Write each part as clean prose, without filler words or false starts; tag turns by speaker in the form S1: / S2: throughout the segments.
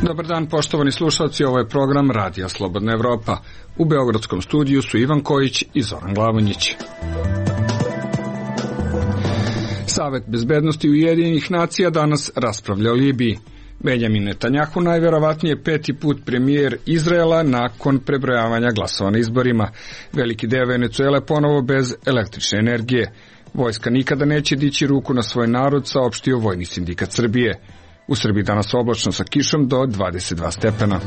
S1: Dobar dan, poštovani slušalci, ovo je program Radija Slobodna Evropa. U beogradskom studiju su Ivan Kojić i Zoran Glavonjić. Savet bezbednosti Ujedinjenih nacija danas raspravlja o Libiji. Benjamin Netanjahu najverovatnije peti put premijer Izraela nakon prebrojavanja glasova na izborima. Veliki deo Venecuele ponovo bez električne energije. Vojska nikada neće dići ruku na svoj narod, saopštio Vojni sindikat Srbije. U Srbiji danas oblačno sa kišom do 22 stepena.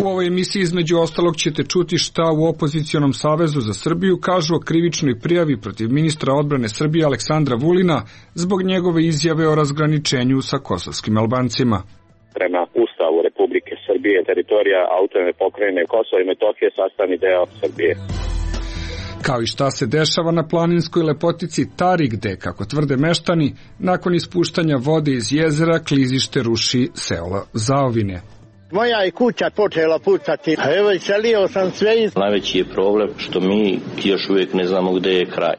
S1: U ovoj emisiji između ostalog ćete čuti šta u Opozicionom savezu za Srbiju kažu o krivičnoj prijavi protiv ministra odbrane Srbije Aleksandra Vulina zbog njegove izjave o razgraničenju sa kosovskim Albancima.
S2: Prema Ustavu Republike Srbije, teritorija autonomne pokrajine Kosovo i Metohije sastavni deo Srbije.
S1: Kao i šta se dešava na planinskoj lepotici Tari gde, kako tvrde meštani, nakon ispuštanja vode iz jezera klizište ruši selo Zaovine.
S3: Moja je kuća počela pucati, a evo iselio sam sve iz...
S4: Najveći je problem što mi još uvijek ne znamo gde je kraj.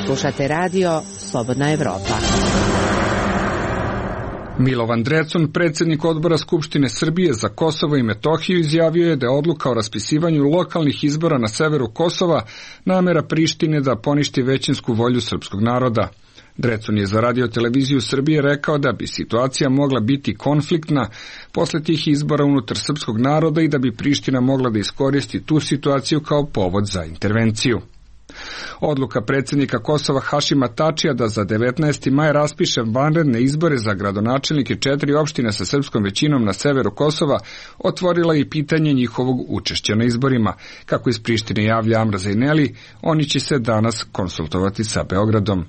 S5: Slušate radio Slobodna Evropa.
S1: Milovan Drecun, predsjednik odbora Skupštine Srbije za Kosovo i Metohiju, izjavio je da je odluka o raspisivanju lokalnih izbora na severu Kosova namera Prištine da poništi većinsku volju srpskog naroda. Drecun je za Radio televiziju Srbije rekao da bi situacija mogla biti konfliktna posle tih izbora unutar srpskog naroda i da bi Priština mogla da iskoristi tu situaciju kao povod za intervenciju. Odluka predsjednika Kosova Hašima Tačija da za 19. maj raspiše vanredne izbore za gradonačelnike 4 opštine sa srpskom većinom na severu Kosova otvorila i pitanje njihovog učešća na izborima. Kako iz Prištine javlja Amra Zajneli, oni će se danas konsultovati sa Beogradom.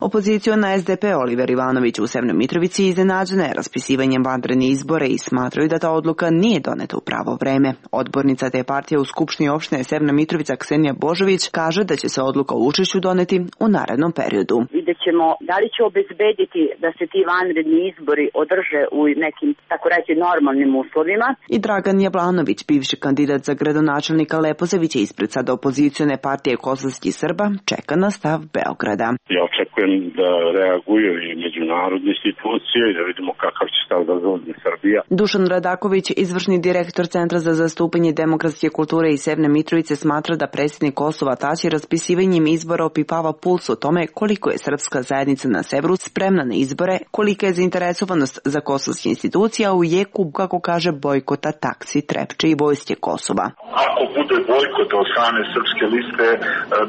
S6: Opoziciona SDP Oliver Ivanović u Severnoj Mitrovici iznenađena je raspisivanjem vanrednih izbora i smatraju da ta odluka nije doneta u pravo vreme. Odbornica te partije u Skupštini opštine Severna Mitrovica Ksenija Božović kaže da će se odluka o učešću doneti u narednom periodu.
S7: Vidjet ćemo da li će obezbediti da se ti vanredni izbori održe u nekim, tako reći, normalnim uslovima.
S6: I Dragan Jablanović, bivši kandidat za gradonačelnika Leposavića ispred sada opozicione partije kosovskih Srba, čeka na stav Beograda.
S2: Ja očekujem da reaguju i međunarodne institucije i da vidimo kakav će stav da zauzme Srbija.
S6: Dušan Radaković, izvršni direktor Centra za zastupanje demokratske kulture iz Severne Mitrovice, smatra da predsjednik Kosova Tači raspisivanjem izbora opipava puls o tome koliko je srpska zajednica na severu spremna na izbore, kolika je zainteresovanost za kosovske institucija u jeku, kako kaže, bojkota taksi, Trepče i vojske Kosova.
S8: Ako bude bojkot od strane srpske liste,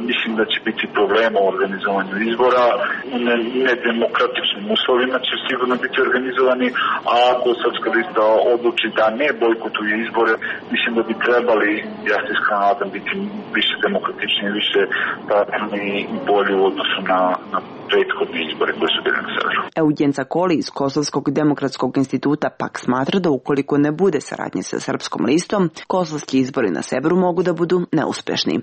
S8: mislim da će biti problema u organizovanju izbora. U nedemokratičnim uslovima će sigurno biti organizovani, a ako srpska lista odluči da ne bojkotuje izbore, mislim da bi trebali, ja se iskreno nadam, biti više demokratični, više pravilni i bolji u odnosu na prethodne izbore koje su bili na severu.
S6: Eugen Cakoli iz Kosovskog demokratskog instituta pak smatra da ukoliko ne bude saradnje sa srpskom listom, kosovski izbori na severu mogu da budu neuspešni.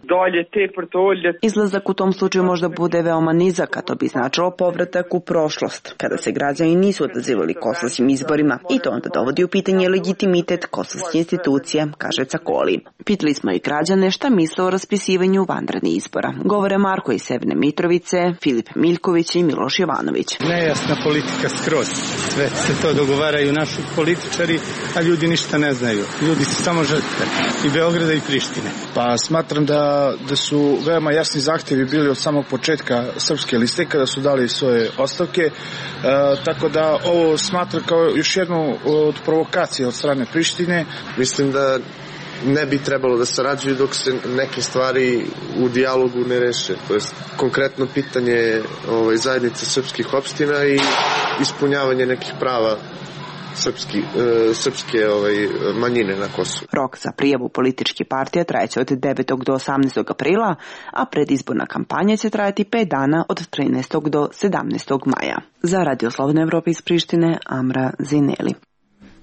S6: Izlazak u tom slučaju možda bude veoma nizak, a to bi značilo povratak u prošlost, kada se građani nisu odazivali kosovskim izborima, i to onda dovodi u pitanje legitimitet kosovskih institucija, kaže Cakoli. Pitali smo i građane šta misle o raspisivanju vanrednih izbora. Govore Marko iz Severne Mitrovice, Filip Miljković i Miloš Jovanović.
S9: Nejasna politika skroz. Sve se to dogovaraju naši političari, a ljudi ništa ne znaju. Ljudi su samo žrtve i Beograda i Prištine.
S10: Pa smatram da su veoma jasni zahtjevi bili od samog početka srpske liste kada su dali svoje ostavke, tako da ovo smatram kao još jednu od provokacija od strane Prištine.
S11: Mislim da ne bi trebalo da sarađuju dok se neke stvari u dijalogu ne reše. To je konkretno pitanje zajednice srpskih opština i ispunjavanje nekih prava srpske manjine na Kosovu.
S6: Rok za prijavu političkih partija trajeće od 9. do 18. aprila, a predizborna kampanja će trajati 5 dana od 13. do 17. maja. Za Radio Slobodna Evropa iz Prištine, Amra Zineli.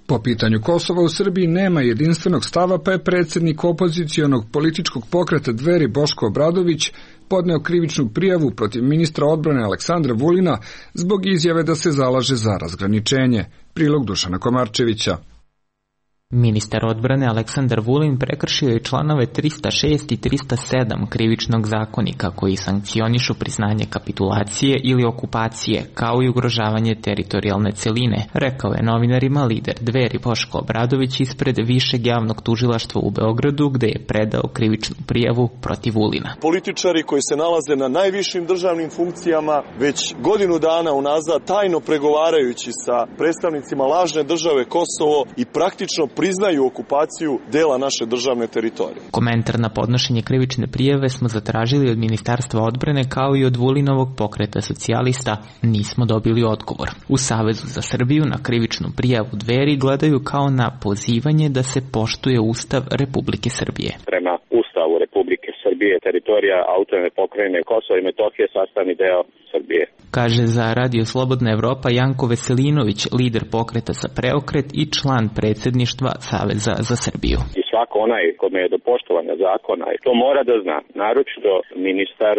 S1: Po pitanju Kosova u Srbiji nema jedinstvenog stava, pa je predsjednik opozicionog političkog pokreta Dveri Boško Obradović podneo krivičnu prijavu protiv ministra odbrane Aleksandra Vulina zbog izjave da se zalaže za razgraničenje. Prilog Dušana Komarčevića.
S12: Ministar odbrane Aleksandar Vulin prekršio je članove 306 i 307 krivičnog zakonika koji sankcionišu priznanje kapitulacije ili okupacije, kao i ugrožavanje teritorijalne celine, rekao je novinarima lider Dveri Boško Obradović ispred Višeg javnog tužilaštva u Beogradu, gde je predao krivičnu prijavu protiv Vulina.
S13: Političari koji se nalaze na najvišim državnim funkcijama već godinu dana unazad tajno pregovarajući sa predstavnicima lažne države Kosovo i praktično priznaju okupaciju dela naše državne teritorije.
S12: Komentar na podnošenje krivične prijave smo zatražili od Ministarstva odbrane kao i od Vulinovog pokreta socijalista. Nismo dobili odgovor. U Savezu za Srbiju na krivičnu prijavu Dveri gledaju kao na pozivanje da se poštuje Ustav Republike Srbije.
S2: Prema Ustavu Republike Srbije, teritorija autonomne pokrajine Kosovo i Metohije sastavni deo Srbije.
S12: Kaže za Radio Slobodna Evropa Janko Veselinović, lider pokreta za preokret i član predsjedništva Saveza za Srbiju.
S2: I svako onaj kome je do poštovanja zakona, to mora da zna, naročito ministar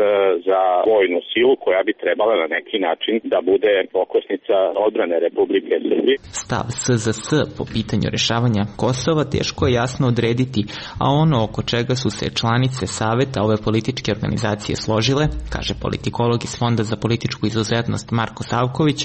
S2: za vojnu silu koja bi trebala na neki način da bude okosnica odbrane Republike Srbije.
S12: Stav SZS po pitanju rešavanja Kosova teško je jasno odrediti, a ono oko čega su se članice Saveta ove političke organizacije složile, kaže politikolog iz Fonda za političku izuzetnost Marko Savković,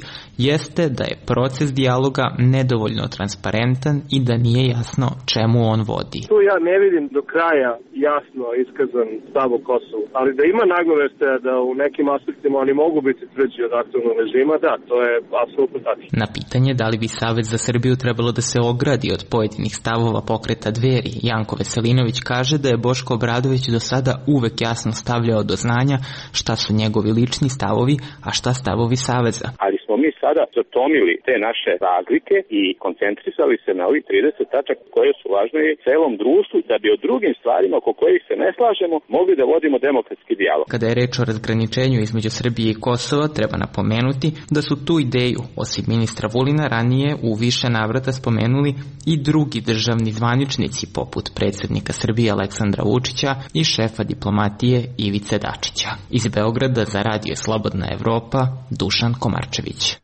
S12: jeste da je proces dijaloga nedovoljno transparentan i da nije jasno čemu on vodi.
S14: Tu ja ne vidim do kraja jasno iskazan stav o Kosovu, ali da ima nagoveštaja da u nekim aspektima oni mogu biti tvrđi od aktualnog režima, da, to je apsolutno tačno.
S12: Na pitanje da li bi Savez za Srbiju trebalo da se ogradi od pojedinih stavova pokreta Dveri, Janko Veselinović kaže da je Boško Obradović do sada uvek jasno stavljao do znanja šta su njegovi lični stavovi, a šta stavovi Saveza.
S2: Ali smo mi sada zatomili te naše razlike i koncentrisali se na ovih 30 tačaka koje su važne celom društvu da bi o drugim stvarima oko kojih se ne slažemo mogli da vodimo demokratski dijalog.
S12: Kada je reč o razgraničenju između Srbije i Kosova, treba napomenuti da su tu ideju, osim ministra Vulina, ranije u više navrata spomenuli i drugi državni zvaničnici poput predsjednika Srbije Aleksandra Vučića i šefa diplomatije Ivice Dačića. Iz Beograda za Radio Slobodna Evropa, Dušan Komarčević.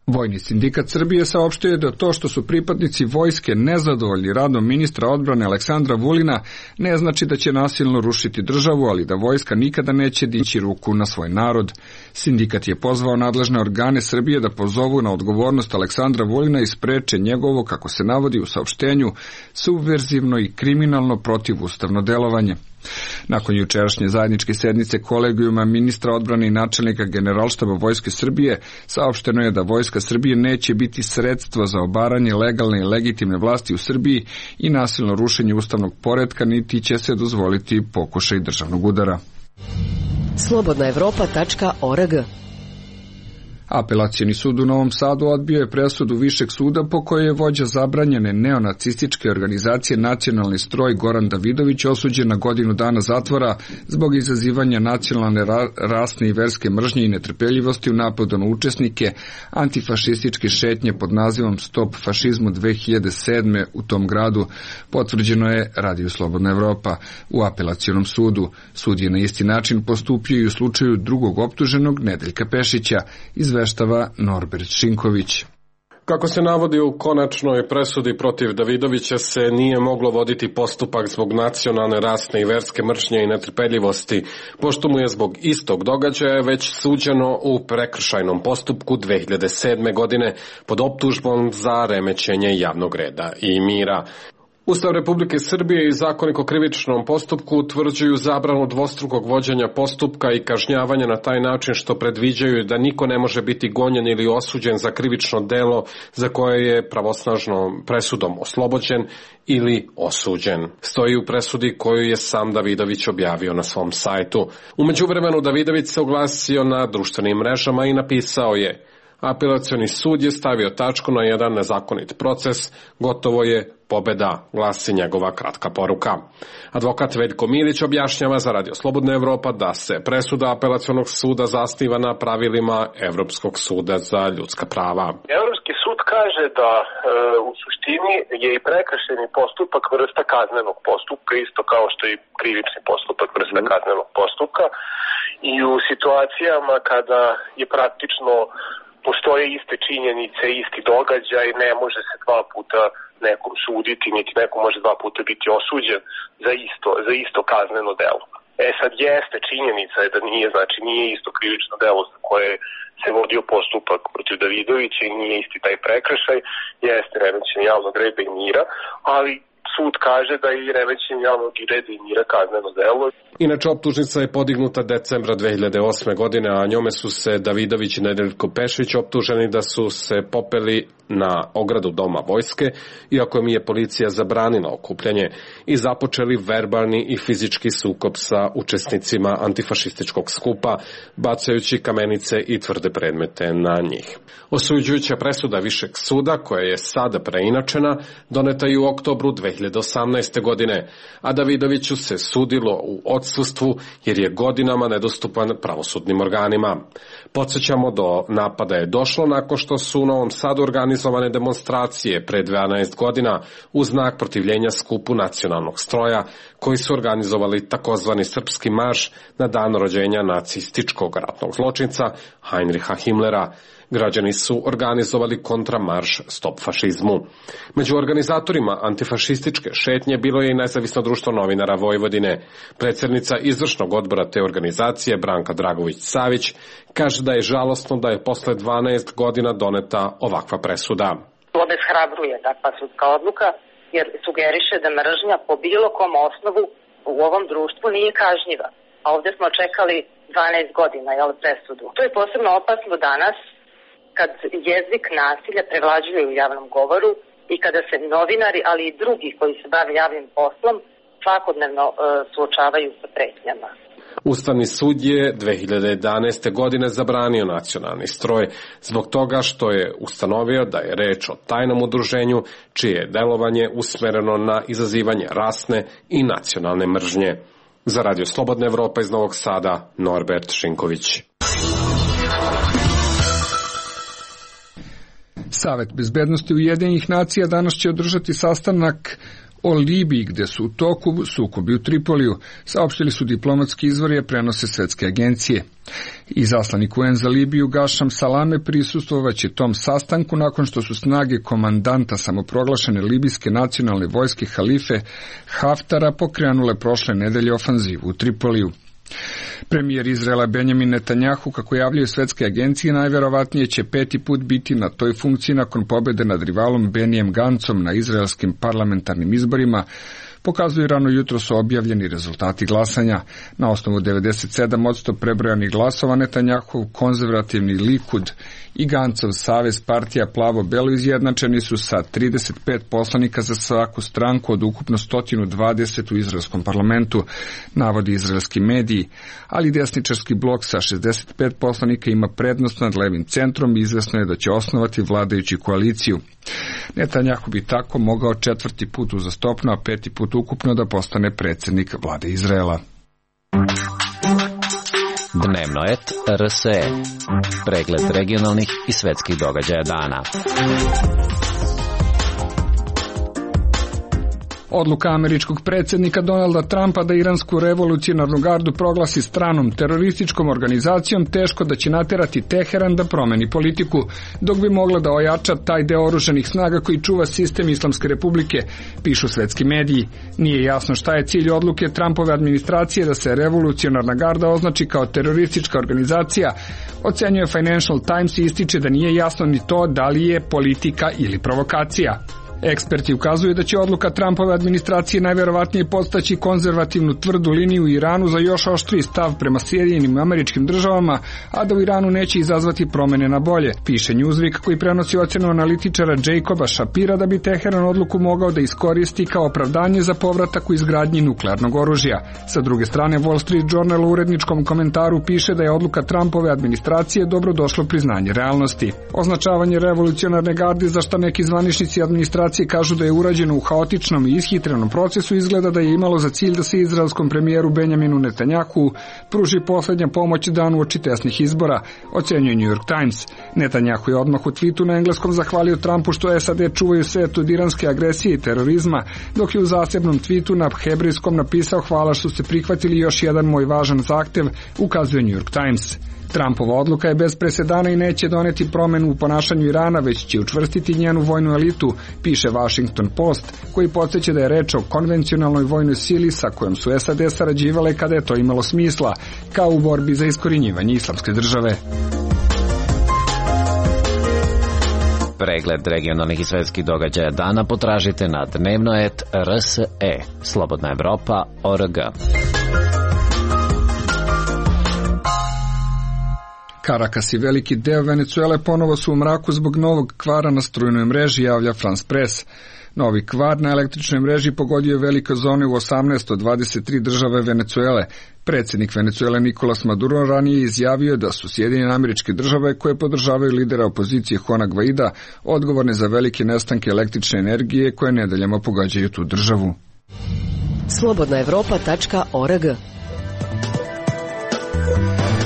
S1: Vojni sindikat Srbije saopštuje da to što su pripadnici vojske nezadovoljni radom ministra odbrane Aleksandra Vulina ne znači da će nasilno rušiti državu, ali da vojska nikada neće dići ruku na svoj narod. Sindikat je pozvao nadležne organe Srbije da pozovu na odgovornost Aleksandra Vulina i spreče njegovo, kako se navodi u saopštenju, subverzivno i kriminalno protivustavno delovanje. Nakon jučerašnje zajedničke sednice kolegijuma ministra odbrane i načelnika Generalštaba Vojske Srbije saopšteno je da Vojska Srbije neće biti sredstvo za obaranje legalne i legitimne vlasti u Srbiji i nasilno rušenje ustavnog poretka, niti će se dozvoliti pokušaj državnog udara.
S5: Slobodnaevropa.org.
S1: Apelacioni sud u Novom Sadu odbio je presudu Višeg suda po kojoj je vođa zabranjene neonacističke organizacije Nacionalni stroj Goran Davidović osuđen na godinu dana zatvora zbog izazivanja nacionalne, rasne i verske mržnje i netrpeljivosti u napadu na učesnike antifašističke šetnje pod nazivom Stop fašizmu 2007. u tom gradu, potvrđeno je Radio Slobodna Evropa. U apelacionom sudu sud je na isti način postupio i u slučaju drugog optuženog Nedeljka Pešića, izveštava Norbert Šinković.
S15: Kako se navodi u konačnoj presudi protiv Davidovića se nije moglo voditi postupak zbog nacionalne, rasne i verske mržnje i netrpeljivosti, pošto mu je zbog istog događaja već suđeno u prekršajnom postupku 2007. godine pod optužbom za remećenje javnog reda i mira. Ustav Republike Srbije i Zakonik o krivičnom postupku utvrđuju zabranu dvostrukog vođenja postupka i kažnjavanja na taj način što predviđaju da niko ne može biti gonjen ili osuđen za krivično delo za koje je pravosnažnom presudom oslobođen ili osuđen. Stoji u presudi koju je sam Davidović objavio na svom sajtu. U međuvremenu Davidović se oglasio na društvenim mrežama i napisao je: apelacioni sud je stavio tačku na jedan nezakonit proces, gotovo je pobeda, glasi njegova kratka poruka. Advokat Veljko Milić objašnjava za Radio Slobodna Evropa da se presuda apelacionog suda zasniva na pravilima Evropskog suda za ljudska prava.
S16: Evropski sud kaže da u suštini je i prekršajni postupak vrsta kaznenog postupka, isto kao što je i krivični postupak vrsta kaznenog postupka, i u situacijama kada je praktično postoje iste činjenice, isti događaj, ne može se dva puta nekom suditi, niti neko može dva puta biti osuđen za isto kazneno delo. Sad jeste činjenica je da nije isto krivično delo za koje se vodio postupak protiv Davidovića i nije isti taj prekršaj, jeste remećenje javnog reda i mira, ali sud kaže da je i remećenje javnog reda i mira kazneno delo.
S15: Inače, optužnica je podignuta decembra 2008. godine, a njome su se Davidović i Nedeljko Pešić optuženi da su se popeli na ogradu Doma vojske, iako im je policija zabranila okupljanje, i započeli verbalni i fizički sukob sa učesnicima antifašističkog skupa, bacajući kamenice i tvrde predmete na njih. Osuđujuća presuda Višeg suda, koja je sada preinačena, doneta je u oktobru 2018. godine, a Davidoviću se sudilo u odsustvu jer je godinama nedostupan pravosudnim organima. Podsjećamo, do napada je došlo nakon što su u Novom Sadu organizovane demonstracije pre 12 godina u znak protivljenja skupu nacionalnog stroja, koji su organizovali takozvani srpski marš na dan rođenja nacističkog ratnog zločinca Heinricha Himmlera. Građani su organizovali kontramarš Stop fašizmu. Među organizatorima antifašističke šetnje bilo je i Nezavisno društvo novinara Vojvodine. Predsjednica izvršnog odbora te organizacije, Branka Dragović-Savić, kaže da je žalosno da je posle 12 godina doneta ovakva presuda.
S17: Obeshrabruje takva sudska odluka, jer sugeriše da mržnja po bilo kom osnovu u ovom društvu nije kažnjiva. A ovdje smo čekali 12 godina presudu. To je posebno opasno danas, kad jezik nasilja prevlađuje u javnom govoru i kada se novinari, ali i drugi koji se bave javnim poslom, svakodnevno suočavaju sa pretnjama.
S15: Ustavni sud je 2011. godine zabranio nacionalni stroj zbog toga što je ustanovio da je reč o tajnom udruženju čije je delovanje usmereno na izazivanje rasne i nacionalne mržnje. Za Radio Slobodna Evropa iz Novog Sada, Norbert Šinković.
S1: Savet bezbednosti Ujedinjenih nacija danas će održati sastanak o Libiji, gde su u toku sukobi u Tripoliju, saopštili su diplomatski izvori, prenose svetske agencije. Izaslanik UN za Libiju Gašam Salame prisustvovaće tom sastanku nakon što su snage komandanta samoproglašene libijske nacionalne vojske Halife Haftara pokrenule prošle nedelje ofanzivu u Tripoliju. Premijer Izraela Benjamin Netanjahu, kako javljaju svetske agencije, najverovatnije će 5. put biti na toj funkciji nakon pobede nad rivalom Benijem Gancom na izraelskim parlamentarnim izborima, pokazuju rano jutro su objavljeni rezultati glasanja. Na osnovu 97% prebrojanih glasova Netanjahov konzervativni Likud i Gancov savez partija Plavo-Belo izjednačeni su sa 35 poslanika za svaku stranku od ukupno 120 u izraelskom parlamentu, navodi izraelski mediji, ali desničarski blok sa 65 poslanika ima prednost nad levim centrom i izvesno je da će osnovati vladajući koaliciju. Netanjahu bi tako mogao 4. put uzastopno, a 5. put ukupno da postane predsjednik vlade Izraela.
S18: Dnevno et RSE. Pregled regionalnih i svetskih događaja dana.
S1: Odluka američkog predsjednika Donalda Trumpa da iransku revolucionarnu gardu proglasi stranom terorističkom organizacijom teško da će naterati Teheran da promeni politiku, dok bi mogla da ojača taj deo oružanih snaga koji čuva sistem Islamske republike, pišu svetski mediji. Nije jasno šta je cilj odluke Trumpove administracije da se revolucionarna garda označi kao teroristička organizacija, ocenjuje Financial Times i ističe da nije jasno ni to da li je politika ili provokacija. Eksperti ukazuju da će odluka Trumpove administracije najverovatnije podstaći konzervativnu tvrdu liniju u Iranu za još oštriji stav prema Sjedinjenim Američkim Državama, a da u Iranu neće izazvati promene na bolje, piše Newsweek koji prenosi ocenu analitičara Jacoba Shapira da bi Teheran odluku mogao da iskoristi kao opravdanje za povratak u izgradnji nuklearnog oružja. Sa druge strane, Wall Street Journal u uredničkom komentaru piše da je odluka Trumpove administracije dobrodošlo priznanje realnosti. Označavanje revolucionarne garde, za šta neki zvaničnici administracije kažu da je urađeno u haotičnom i ishitrenom procesu, izgleda da je imalo za cilj da se izraelskom premijeru Benjaminu Netanjahu pruži poslednja pomoć dan uoči tesnih izbora, ocenjuje New York Times. Netanjahu je odmah u tvitu na engleskom zahvalio Trumpu što SAD čuvaju svet od iranske agresije i terorizma, dok je u zasebnom tvitu na hebrejskom napisao: hvala što ste prihvatili još jedan moj važan zahtev, ukazuje New York Times. Trumpova odluka je bez presedana i neće doneti promenu u ponašanju Irana, već će učvrstiti njenu vojnu elitu, piše Washington Post, koji podsjeća da je reč o konvencionalnoj vojnoj sili sa kojom su SAD sarađivale kada je to imalo smisla, kao u borbi za iskorjenjivanje islamske države.
S18: Pregled regionalnih i svetskih događaja dana potražite na dnevno.rs.e. Slobodna Evropa.org.
S1: Karakas i veliki deo Venecuele ponovo su u mraku zbog novog kvara na strujnoj mreži, javlja France Press. Novi kvar na električnoj mreži pogodio je velike zone u 18 od 23 države Venecuele. Predsjednik Venecuele Nicolas Maduro ranije izjavio da su Sjedinjene Američke Države, koje podržavaju lidera opozicije Juana Guaida, odgovorne za velike nestanke električne energije koje nedeljama pogađaju tu državu.
S5: Slobodnaevropa.org.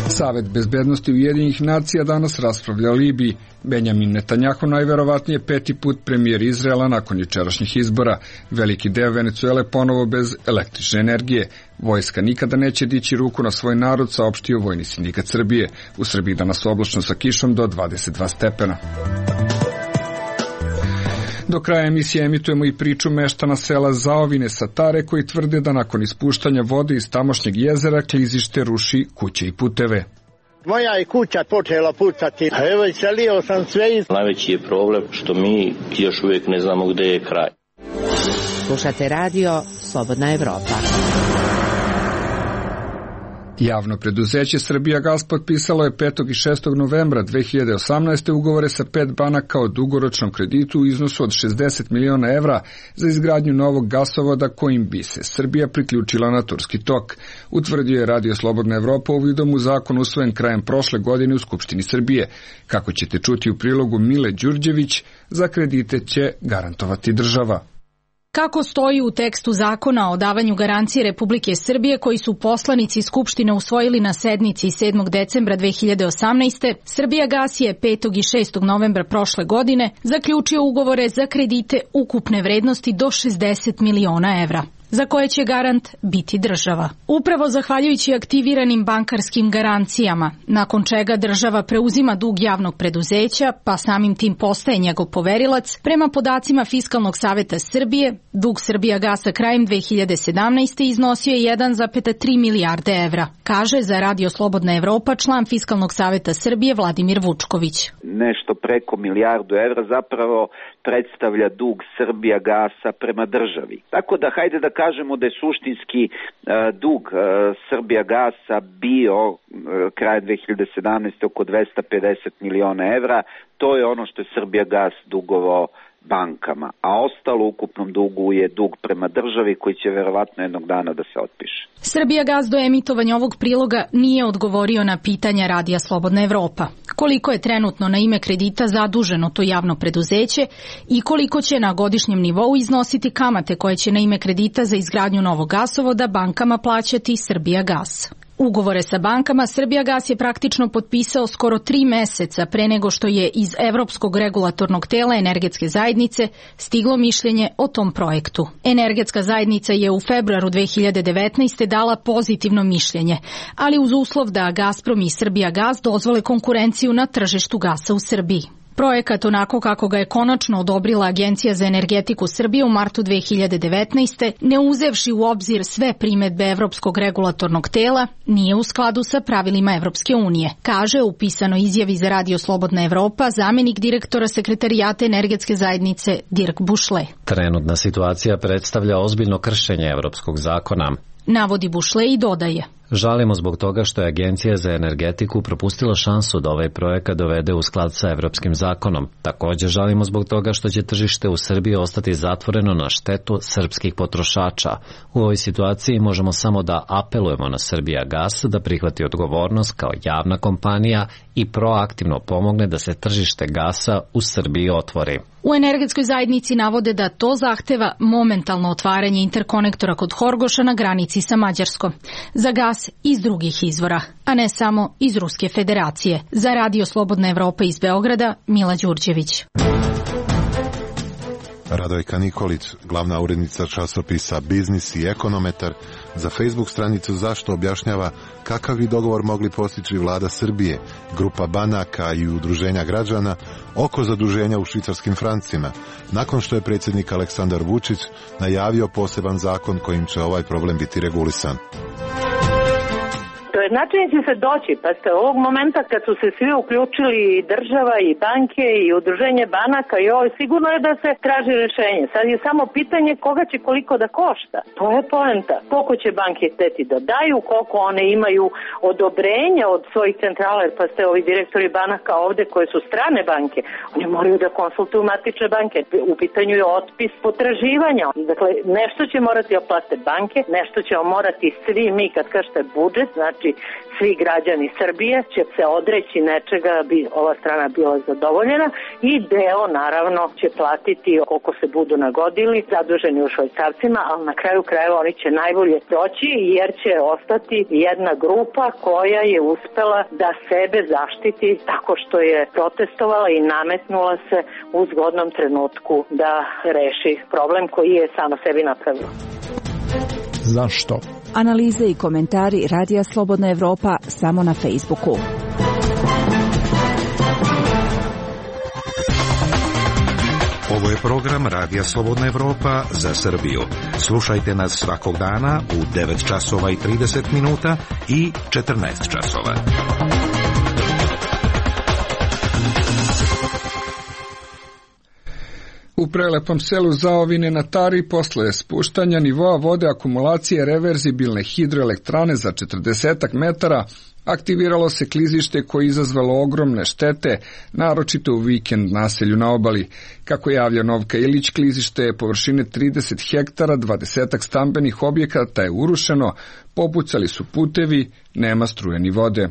S1: Savet bezbednosti Ujedinjenih nacija danas raspravlja o Libiji. Benjamin Netanjahu najverovatnije 5. put premijer Izraela nakon jučerašnjih izbora. Veliki deo Venecuele ponovo bez električne energije. Vojska nikada neće dići ruku na svoj narod, saopštio Vojni sindikat Srbije. U Srbiji danas oblačno sa kišom do 22 stepena. Do kraja emisije emitujemo i priču meštana sela Zaovine Satare, koji tvrde da nakon ispuštanja vode iz tamošnjeg jezera klizište ruši kuće i puteve.
S3: Moja je kuća počela pucati, a evo iselio sam sve iz...
S4: Najveći je problem što mi još uvijek ne znamo gde je kraj.
S5: Slušate radio Slobodna Evropa.
S1: Javno preduzeće Srbijagas potpisalo je 5. i 6. novembra 2018. ugovore sa 5 banaka o dugoročnom kreditu u iznosu od 60 miliona evra za izgradnju novog gasovoda kojim bi se Srbija priključila na Turski tok, utvrdio je Radio Slobodna Evropa uvidom u zakon usvojen krajem prošle godine u Skupštini Srbije. Kako ćete čuti u prilogu Mile Đurđević, za kredite će garantovati država.
S19: Kako stoji u tekstu zakona o davanju garancije Republike Srbije koji su poslanici Skupštine usvojili na sednici 7. decembra 2018. Srbijagas je 5. i 6. novembra prošle godine zaključio ugovore za kredite ukupne vrednosti do 60 miliona evra, za koje će garant biti država. Upravo zahvaljujući aktiviranim bankarskim garancijama, nakon čega država preuzima dug javnog preduzeća, pa samim tim postaje njegov poverilac, prema podacima Fiskalnog saveta Srbije, dug Srbijagasa krajem 2017. iznosio je 1,3 milijarde evra, kaže za Radio Slobodna Evropa član Fiskalnog saveta Srbije Vladimir Vučković.
S20: Nešto preko milijardu evra zapravo predstavlja dug Srbijagasa prema državi. Tako da hajde da kažemo da je suštinski dug Srbijagasa bio krajem 2017. oko 250 miliona evra. To je ono što je Srbijagas dugovao bankama, a ostalo u ukupnom dugu je dug prema državi koji će verovatno jednog dana da se otpiše.
S19: Srbijagas do emitovanja ovog priloga nije odgovorio na pitanja Radija Slobodna Evropa. Koliko je trenutno na ime kredita zaduženo to javno preduzeće i koliko će na godišnjem nivou iznositi kamate koje će na ime kredita za izgradnju novog gasovoda bankama plaćati Srbijagas. Ugovore sa bankama Srbijagas je praktično potpisao skoro 3 meseca pre nego što je iz Evropskog regulatornog tela Energetske zajednice stiglo mišljenje o tom projektu. Energetska zajednica je u februaru 2019. dala pozitivno mišljenje, ali uz uslov da Gazprom i Srbijagas dozvole konkurenciju na tržištu gasa u Srbiji. Projekat, onako kako ga je konačno odobrila Agencija za energetiku Srbije u martu 2019. ne uzevši u obzir sve primedbe Evropskog regulatornog tela, nije u skladu sa pravilima Evropske unije, kaže u pisanoj izjavi za Radio Slobodna Evropa zamenik direktora Sekretarijata Energetske zajednice Dirk Bušle.
S18: Trenutna situacija predstavlja ozbiljno kršenje evropskog zakona,
S19: navodi Bušle i dodaje.
S18: Žalimo zbog toga što je Agencija za energetiku propustila šansu da ovaj projekat dovede u sklad sa evropskim zakonom. Također žalimo zbog toga što će tržište u Srbiji ostati zatvoreno na štetu srpskih potrošača. U ovoj situaciji možemo samo da apelujemo na Srbijagas da prihvati odgovornost kao javna kompanija i proaktivno pomogne da se tržište gasa u Srbiji otvori.
S19: U energetskoj zajednici navode da to zahteva momentalno otvaranje interkonektora kod Horgoša na granici sa Mađarskom za gas iz drugih izvora, a ne samo iz Ruske federacije. Za Radio Slobodna Evropa iz Beograda, Mila Đurđević.
S21: Radojka Nikolić, glavna urednica časopisa Biznis i Ekonometar, za Facebook stranicu Zašto objašnjava kakav bi dogovor mogli postići vlada Srbije, grupa banaka i udruženja građana oko zaduženja u švicarskim francima, nakon što je predsjednik Aleksandar Vučić najavio poseban zakon kojim će ovaj problem biti regulisan.
S22: Do jednačenja će se doći, pa ste ovog momenta kad su se svi uključili i država i banke i udruženje banaka i ovo, sigurno je da se traži rješenje. Sad je samo pitanje koga će koliko da košta. To je poenta. Koliko će banke hteti da daju, koliko one imaju odobrenja od svojih centrala, jer pa ste ovi direktori banaka ovde koje su strane banke, oni moraju da konsultuju matične banke. U pitanju je otpis potraživanja. Dakle, nešto će morati oplate banke, nešto ćemo morati svi mi, kad kažete budžet, znači svi građani Srbije će se odreći nečega, bi ova strana bila zadovoljena i deo naravno će platiti koliko se budu nagodili, zaduženi u švajcarcima, ali na kraju krajeva oni će najbolje proći jer će ostati jedna grupa koja je uspela da sebe zaštiti tako što je protestovala i nametnula se u zgodnom trenutku da reši problem koji je sama sebi napravila.
S23: Zašto?
S24: Analize i komentari Radija Slobodna Evropa samo na Facebooku.
S25: Ovo je program Radija Slobodna Evropa za Srbiju. Slušajte nas svakog dana u 9 časova i 30 minuta i 14 časova.
S1: U prelepom selu Zaovine na Tari posle spuštanja nivoa vode akumulacije reverzibilne hidroelektrane za 40 metara aktiviralo se klizište koje je izazvalo ogromne štete, naročito u vikend naselju na obali. Kako javlja Novka Ilić, klizište je površine 30 hektara, 20 stambenih objekata je urušeno, popucali su putevi, nema struje ni vode.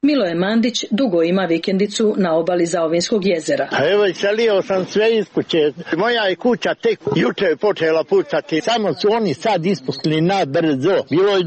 S26: Miloje Mandić dugo ima vikendicu na obali Zaovinskog jezera.
S3: Evo, iselio sam sve iz kuće. Moja je kuća tek juče počela pucati. Samo su oni sad ispustili na brzo. Bilo je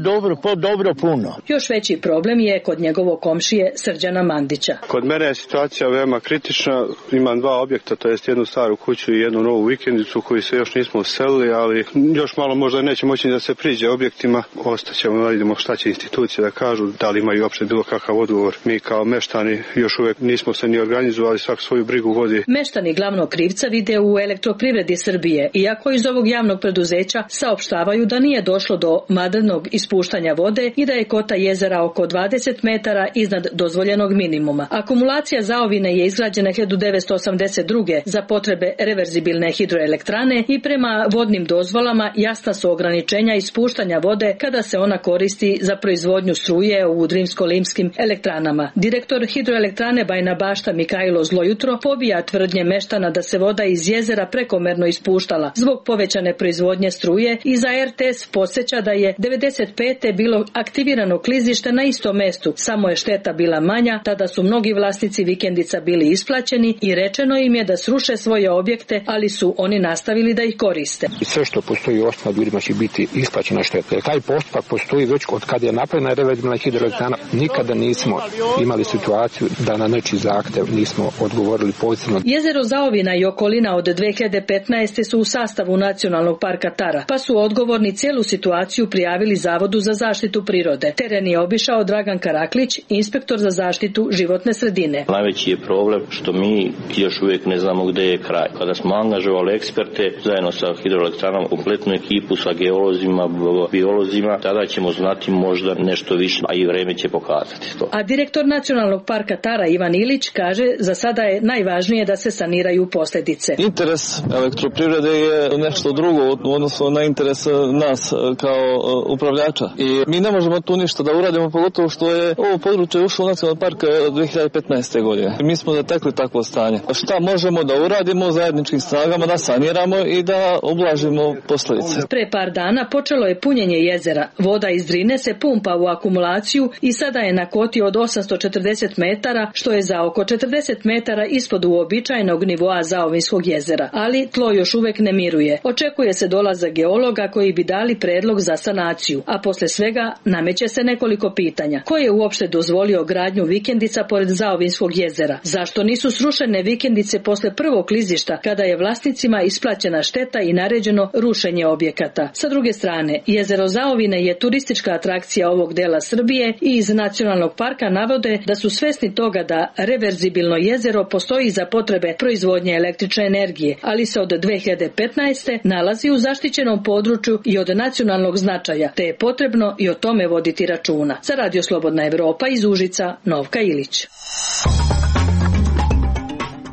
S3: dobro puno.
S26: Još veći problem je kod njegovog komšije Srđana Mandića.
S14: Kod mene je situacija veoma kritična. Imam 2 objekta, to jest jednu staru kuću i jednu novu vikendicu koju se još nismo uselili, ali još malo možda neće moći da se priđe objektima. Ostaćemo da vidimo šta će institucije da kažu, da li imaju uopšte bilo kakav odgovor. Mi kao meštani još uvijek nismo se ni organizovali, svak svoju brigu vodi.
S26: Meštani glavnog krivca vide u Elektroprivredi Srbije, iako iz ovog javnog preduzeća saopštavaju da nije došlo do madrnog ispuštanja vode i da je kota jezera oko 20 metara iznad dozvoljenog minimuma. Akumulacija Zaovine je izgrađena 1982. za potrebe reverzibilne hidroelektrane i prema vodnim dozvolama jasna su ograničenja ispuštanja vode kada se ona koristi za proizvodnju struje u Drimsko-limskim elektranama. Direktor hidroelektrane Bajina Bašta Mikajlo Zlojutro pobija tvrdnje meštana da se voda iz jezera prekomerno ispuštala zbog povećane proizvodnje struje i za RTS podsjeća da je 95. bilo aktivirano klizište na istom mestu, samo je šteta bila manja, tada su mnogi vlasnici vikendica bili isplaćeni i rečeno im je da sruše svoje objekte, ali su oni nastavili da ih koriste.
S23: Sve što postoji u osnovu ljudima će biti isplaćena šteta. Jer taj postupak postoji već od kada je napravljena reverzibilna hidroelektrana, nikada nismo imali situaciju da na nečiji zahtev nismo odgovorili pozitivno.
S26: Jezero Zaovina i okolina od 2015. su u sastavu Nacionalnog parka Tara, pa su odgovorni cijelu situaciju prijavili Zavodu za zaštitu prirode. Teren je obišao Dragan Karaklić, inspektor za zaštitu životne sredine.
S4: Najveći je problem što mi još uvijek ne znamo gde je kraj. Kada smo angažovali eksperte zajedno sa hidroelektranom, kompletnu ekipu sa geolozima, biolozima, tada ćemo znati možda nešto više, a i vreme će pokazati to.
S26: A direktor Nacionalnog parka Tara Ivan Ilić kaže za sada je najvažnije da se saniraju posljedice.
S27: Interes elektroprivrede je nešto drugo odnosno na interes nas kao upravljača. I mi ne možemo tu ništa da uradimo, pogotovo što je ovo područje ušlo u Nacionalni park 2015. godine. Mi smo zatekli takvo stanje. Šta možemo da uradimo zajedničkim snagama, da saniramo i da ublažimo posljedice.
S26: Pre par dana počelo je punjenje jezera. Voda iz Drine se pumpa u akumulaciju i sada je na koti od 840 metara, što je za oko 40 metara ispod uobičajenog nivoa Zaovinskog jezera, ali tlo još uvek ne miruje. Očekuje se dolazak geologa koji bi dali predlog za sanaciju, a posle svega nameće se nekoliko pitanja. Ko je uopšte dozvolio gradnju vikendica pored Zaovinskog jezera? Zašto nisu srušene vikendice posle prvog klizišta, kada je vlasnicima isplaćena šteta i naređeno rušenje objekata? Sa druge strane, jezero Zaovine je turistička atrakcija ovog dela Srbije i iz nacionalnog parka navode da su svesni toga da reverzibilno jezero postoji za potrebe proizvodnje električne energije, ali se od 2015. nalazi u zaštićenom području i od nacionalnog značaja, te je potrebno i o tome voditi računa. Za Radio Slobodna Evropa iz Užica, Novka Ilić.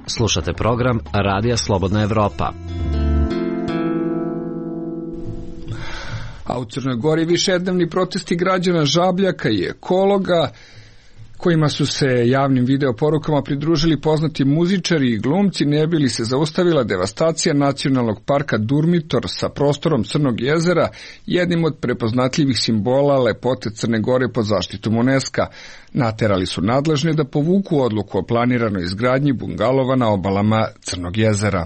S18: Slušate program Radija Slobodna Evropa.
S1: A u Crnoj Gori višednevni protesti građana Žabljaka i ekologa, kojima su se javnim video porukama pridružili poznati muzičari i glumci, ne bi li se zaustavila devastacija nacionalnog parka Durmitor sa prostorom Crnog jezera, jednim od prepoznatljivih simbola lepote Crne Gore pod zaštitom UNESCO-a. Naterali su nadležne da povuku odluku o planiranoj izgradnji bungalova na obalama Crnog jezera.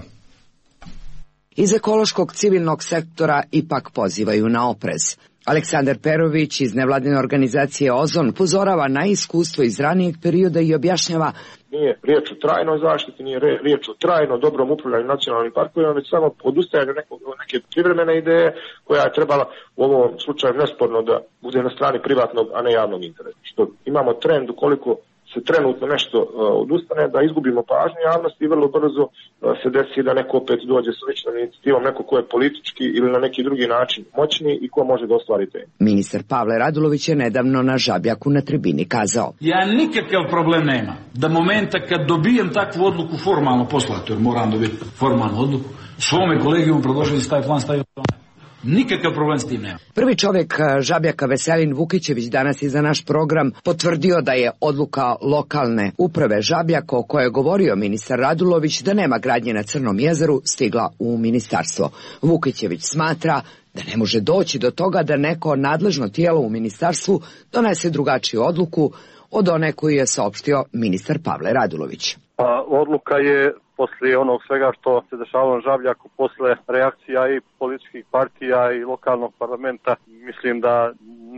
S6: Iz ekološkog civilnog sektora ipak pozivaju na oprez. Aleksandar Perović iz nevladine organizacije Ozon upozorava na iskustvo iz ranijeg perioda i objašnjava:
S7: nije riječ o trajnoj zaštiti, nije riječ o trajno dobrom upravljanju nacionalnim parkovima, već samo odustajanje neke privremene ideje koja je trebala u ovom slučaju nesporno da bude na strani privatnog, a ne javnog interesa. Što imamo trend ukoliko se trenutno nešto odustane, da izgubimo pažnju javnosti i vrlo brzo se desi da neko opet dođe sa ličnom inicijativom, neko ko je politički ili na neki drugi način moćni i ko može da ostvari temu.
S6: Ministar Pavle Radulović je nedavno na Žabljaku na tribini kazao:
S8: ja nikakav problem nema da momenta kad dobijem takvu odluku formalno poslati, jer moram dobiti formalnu odluku, svome kolegijum predložiti da taj plan stavio. Nikakav problem s tim nema.
S6: Prvi čovjek Žabljaka Veselin Vukićević danas je za naš program potvrdio da je odluka lokalne uprave Žabljaka, o kojoj je govorio ministar Radulović, da nema gradnje na Crnom jezeru, stigla u ministarstvo. Vukićević smatra da ne može doći do toga da neko nadležno tijelo u ministarstvu donese drugačiju odluku od one koju je saopštio ministar Pavle Radulović.
S9: Odluka je poslije onog svega što se dešavalo na Žabljaku, posle reakcija i političkih partija i lokalnog parlamenta, mislim da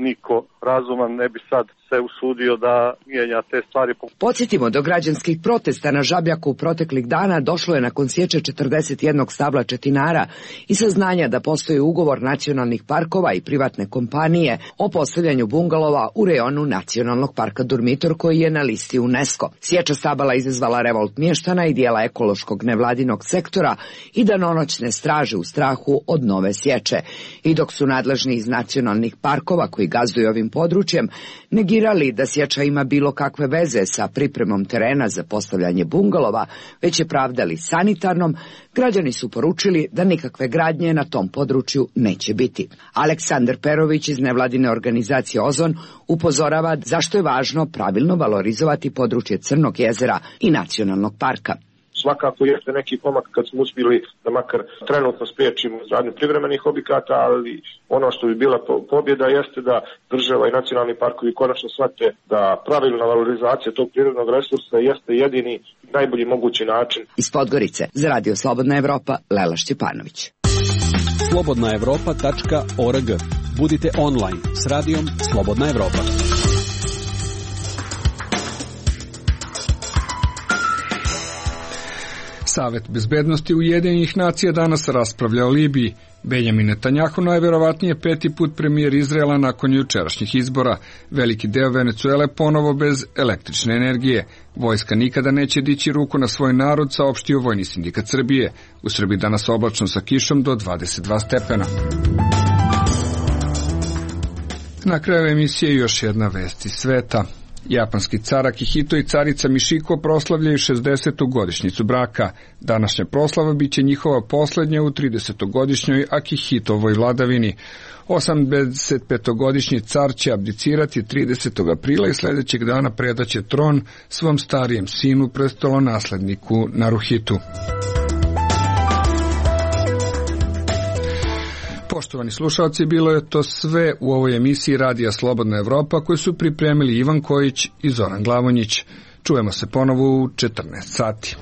S9: niko razuman ne bi sad se usudio da mijenja te stvari.
S6: Podsjetimo, do građanskih protesta na Žabljaku proteklih dana došlo je nakon sječe 41 stabla četinara i saznanja da postoji ugovor nacionalnih parkova i privatne kompanije o postavljanju bungalova u rejonu nacionalnog parka Durmitor, koji je na listi UNESCO. Sječa stabala izazvala revolt mještana i dijela ekološkog nevladinog sektora i danonoćne straže u strahu od nove sječe. I dok su nadležni iz nacionalnih parkova koji gazduju ovim područjem negirali da sječa ima bilo kakve veze sa pripremom terena za postavljanje bungalova, već je pravdali sanitarnom, građani su poručili da nikakve gradnje na tom području neće biti. Aleksandar Perović iz nevladine organizacije Ozon upozorava zašto je važno pravilno valorizovati područje Crnog jezera i nacionalnog parka.
S9: Svakako jeste neki pomak kad smo uspjeli da makar trenutno spriječimo izgradnju privremenih objekata, ali ono što bi bila pobjeda jeste da država i nacionalni parkovi konačno shvate da pravilna valorizacija tog prirodnog resursa jeste jedini najbolji mogući način.
S6: Iz Podgorice za Radio Slobodna Evropa, Lela Šćepanović.
S10: slobodnaevropa.org. Budite online s radijom Slobodna Evropa.
S1: Savet bezbednosti Ujedinjenih nacija danas raspravlja o Libiji. Benjamin Netanjahu najverovatnije peti put premijer Izraela nakon jučerašnjih izbora. Veliki deo Venecuele ponovo bez električne energije. Vojska nikada neće dići ruku na svoj narod, saopštio Vojni sindikat Srbije. U Srbiji danas oblačno sa kišom do 22 stepena. Na kraju emisije još jedna vest iz sveta. Japanski car Akihito i carica Mišiko proslavljaju 60. godišnjicu braka. Današnja proslava biće njihova posljednja u 30-godišnjoj Akihitovoj vladavini. 85-godišnji car će abdicirati 30. aprila i sljedećeg dana predaće tron svom starijem sinu, prestolonasledniku Naruhitu. Poštovani slušalci, bilo je to sve u ovoj emisiji Radija Slobodna Evropa koju su pripremili Ivan Kojić i Zoran Glavonjić. Čujemo se ponovo u 14 sati.